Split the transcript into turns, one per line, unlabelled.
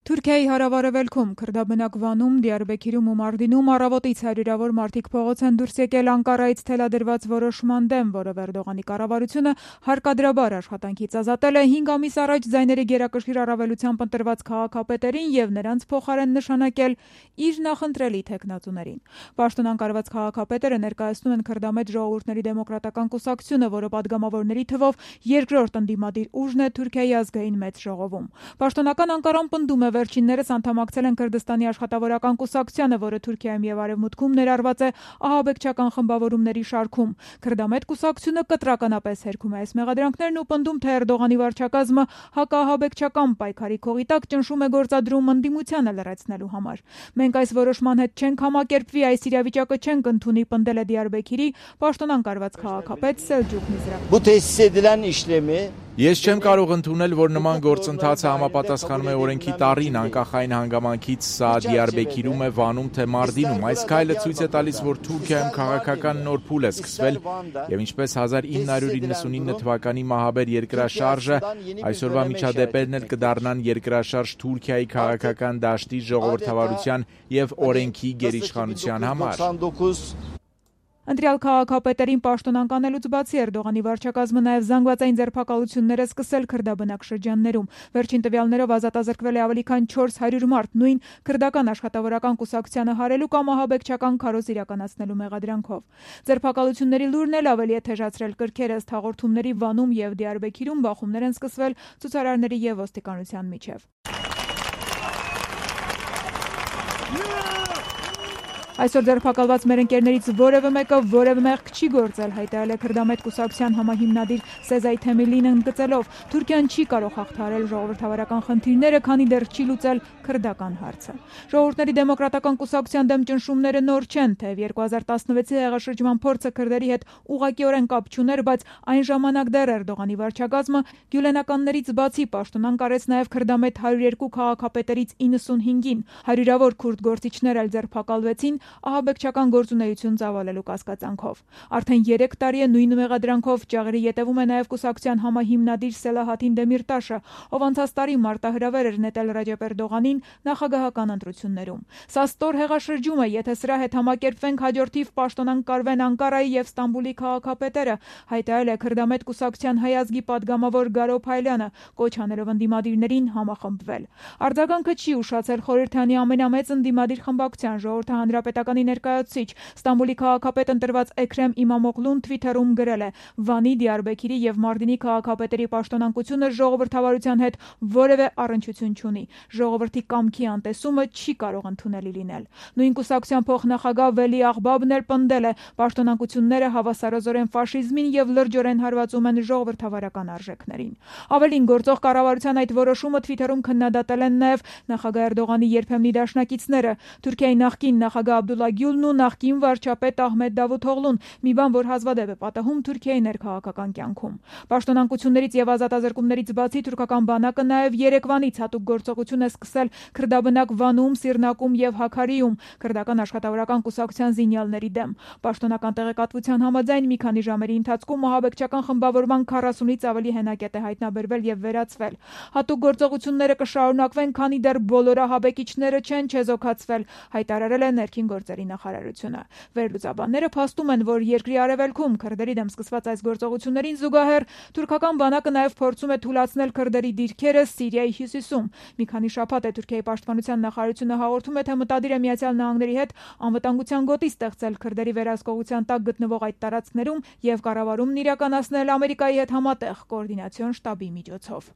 Թուրքիայի հարավարևելքում, քրդաբնակ Վանում, Դիարբեքիրում ու Մարդինում առավոտից հարյուրավոր մարդիկ փողոց են դուրս եկել Անկարայից թելադրված որոշման դեմ, որով Էրդողանի կառավարությունը հարկադրաբար աշխատանքից ազատել է 5 ամիս առաջ ձայների գերակշիռ առավելությամբ ընտրված քաղաքապետերին և նրանց փոխարեն նշանակել իր նախընտրելի թեկնածուներին։ Պաշտոնանկարված քաղաքապետերը ներկայացնում են քրդամետ ժողովուրդների դեմոկրատական կուսակցությունը, որը պատգամավորների թվով երկրորդ ընդդիմադիր ուժն է Թուրքիայի ազգային մեծ ժողովում։ Պաշտոնական Անկարան պնդում է վերջիններս անդամակցել են Քրդստանի աշխատավորական կուսակցությանը, որը Թուրքիայում և Արևմուտքում ներառված է ահաբեկչական խմբավորումների շարքում։ Քրդամետ կուսակցությունը կտրականապես հերքում է այս մեղադրանքներն ու պնդում, թե Էրդողանի վարչակազմը հակաահաբեկչական պայքարի քողի տակ ճնշում է գործադրում ընդդիմությանը լռեցնելու համար։ Մենք այս որոշման հետ չենք համակերպվի, այս իրավիճակը չենք ընդունի, պնդել է Դիարբեքիրի պաշտոնանկարված քաղաքապետ Սելջուկ Միզրակ։
Bu tesis edilen işlemi
Ես չեմ կարող ընդունել, որ նման գործընթացը համապատասխանում է օրենքի տառին, անկախ այն հանգամանքից սա Դիարբեքիրում է, Վանում թե Մարդինում։ Այս քայլը ցույց է տալիս, որ Թուրքիայում քաղաքական նոր փուլ է սկսվել, եւ ինչպես 1999 թվականի մահաբեր երկրաշարժը, այսօրվա միջադեպերն էլ կդառնան երկրաշարժ Թուրքիայի քաղաքական դաշտի, ժողովրդավարության եւ օրենքի գերիշխանության համար։
Ընտրյալ քաղաքապետերին պաշտոնանկանելուց բացի Էրդողանի վարչակազմը նաև զանգվածային ձերբակալություններ է սկսել քրդաբնակ շրջաններում։ Վերջին տվյալներով ազատազրկվել է ավելի քան 400 մարդ, նույն քրդական աշխատավորական կուսակցությանը հարելու կամ ահաբեկչական քարոզ իրականացնելու մեղադրանքով։ Ձերբակալությունների լուրն էլ ավելի է թեժացրել կրքերը, ըստ հաղորդումների Վանում և Դիարբեքիրում բախումներ են սկսվել ցուցարարների և ոստիկանության միջև։ Այսօր ձերբակալված մեր ընկերներից որևէ մեկը որևէ մեղք չի գործել, հայտարարել է քրդամետ կուսակցության համահիմնադիր Սեզայ Թեմիլին ընդգծելով. Թուրքիան չի կարող հաղթահարել ժողովրդավարական խնդիրները, քանի դեռ չի լուծել քրդական հարցը։ Ժողովուրդների դեմոկրատական կուսակցության դեմ ճնշումները նոր չեն, թեև 2016-ի հեղաշրջման փորձը քրդերի հետ ուղղակիորեն կապ չուներ, բայց այն ժամանակ դեռ Էրդողանի վարչակազմը գյուլենականներից բացի պաշտոնանկարեց նաև քրդամետ 102 քաղաքապետերից 95-ին, հարյուրավոր քուրդ գործիչներ էլ ձերբակալվեցին ահաբեկչական գործունեություն ծավալելու կասկածանքով։ Արդեն 3 տարի է նույն մեղադրանքով ճաղերի ետևում է նաև կուսակցության համահիմնադիր Սելահաթին Դեմիրտաշը, ով անցած տարի մարտահրավեր էր նետել Ռաջեփ Էրդողանին նախագահական ընտրություններում։ Սա ստոր հեղաշրջում է, եթե սրա հետ համակերպվենք, հաջորդիվ պաշտոնանկարվեն Անկարայի և Ստամբուլի քաղաքապետերը, հայտարարել է քրդամետ կուսակցության հայ ազգի падգամավոր Գարո Փայլյանը, կոչ անելով ընդդիմադիրներին համախմբվել։ Արձագանքը չի ուշացել խորհրդանի ամենամեծ ընդդիմադիր խմբակցության Ժողովրդի հանրապետականի ներկայացուցիչ Ստամբուլի քաղաքապետ ընտրված Էքրեմ Իմամօղլուն Թվիթերում գրել է. Վանի, Դիարբեքիրի և Մարդինի քաղաքապետերի պաշտոնանկությունը ժողովրդավարության հետ որևէ առնչություն չունի։ Ժողովրդի կամքի անտեսումը չի կարող ընդունելի լինել։ Նույն կուսակցության փոխնախագահ Վելի Աղբաբն էլ պնդել է. պաշտոնանկությունները հավասարազորեն ֆաշիզմին և լրջորեն հարվածում են ժողովրդավարական արժեքներին։ Ավելին, գործող կառավարության այդ որոշումը Թվիթերում քննադատել են նաև նախագահ Էրդողանի երբեմնի դաշնակիցները։ Թուրքիայի նախկին նախագահ Աբդուլլա Գյուլն ու նախկին վարչապետ Ահմեդ Դավութօղլուն, մի բան, որ հազվադեպ է պատահում Թուրքիայի ներքաղաքական կյանքում։ Պաշտոնանկություններից և ազատազրկումներից բացի թուրքական բանակը նաև երեկվանից հատուկ գործողություն է սկսել քրդաբնակ Վանում, Սիրնակում և Հաքարիում քրդական աշխատավորական կուսակցության զինյալների դեմ։ Պաշտոնական տեղեկատվության համաձայն մի քանի ժամերի ընթացքում ահաբեկչական խմբավորման 40-ից ավելի հենակետ է հայտնաբերվել և վերացվել։ Հատուկ գործողությունները կշարունակվեն, քանի դեռ բոլոր ահաբեկիչները չեն չեզոքացվել, հայտարարել է ներքին գործերի նախարարությունը։ Վերլուծաբանները փաստում են, որ երկրի արևելքում քրդերի դեմ սկսված այս գործողություններին զուգահեռ թուրքական բանակը նաև փորձում է թուլացնել քրդերի դիրքերը Սիրիայի հյուսիսում։ Մի քանի շաբաթ է Թուրքիայի պաշտպանության նախարարությունը հաղորդում է, թե մտադիր է Միացյալ Նահանգների հետ անվտանգության գոտի ստեղծել քրդերի վերահսկողության տակ գտնվող այդ տարածքներում և կառավարումն իրականացնել Ամերիկայի հետ համատեղ կոորդինացիոն շտաբի միջոցով։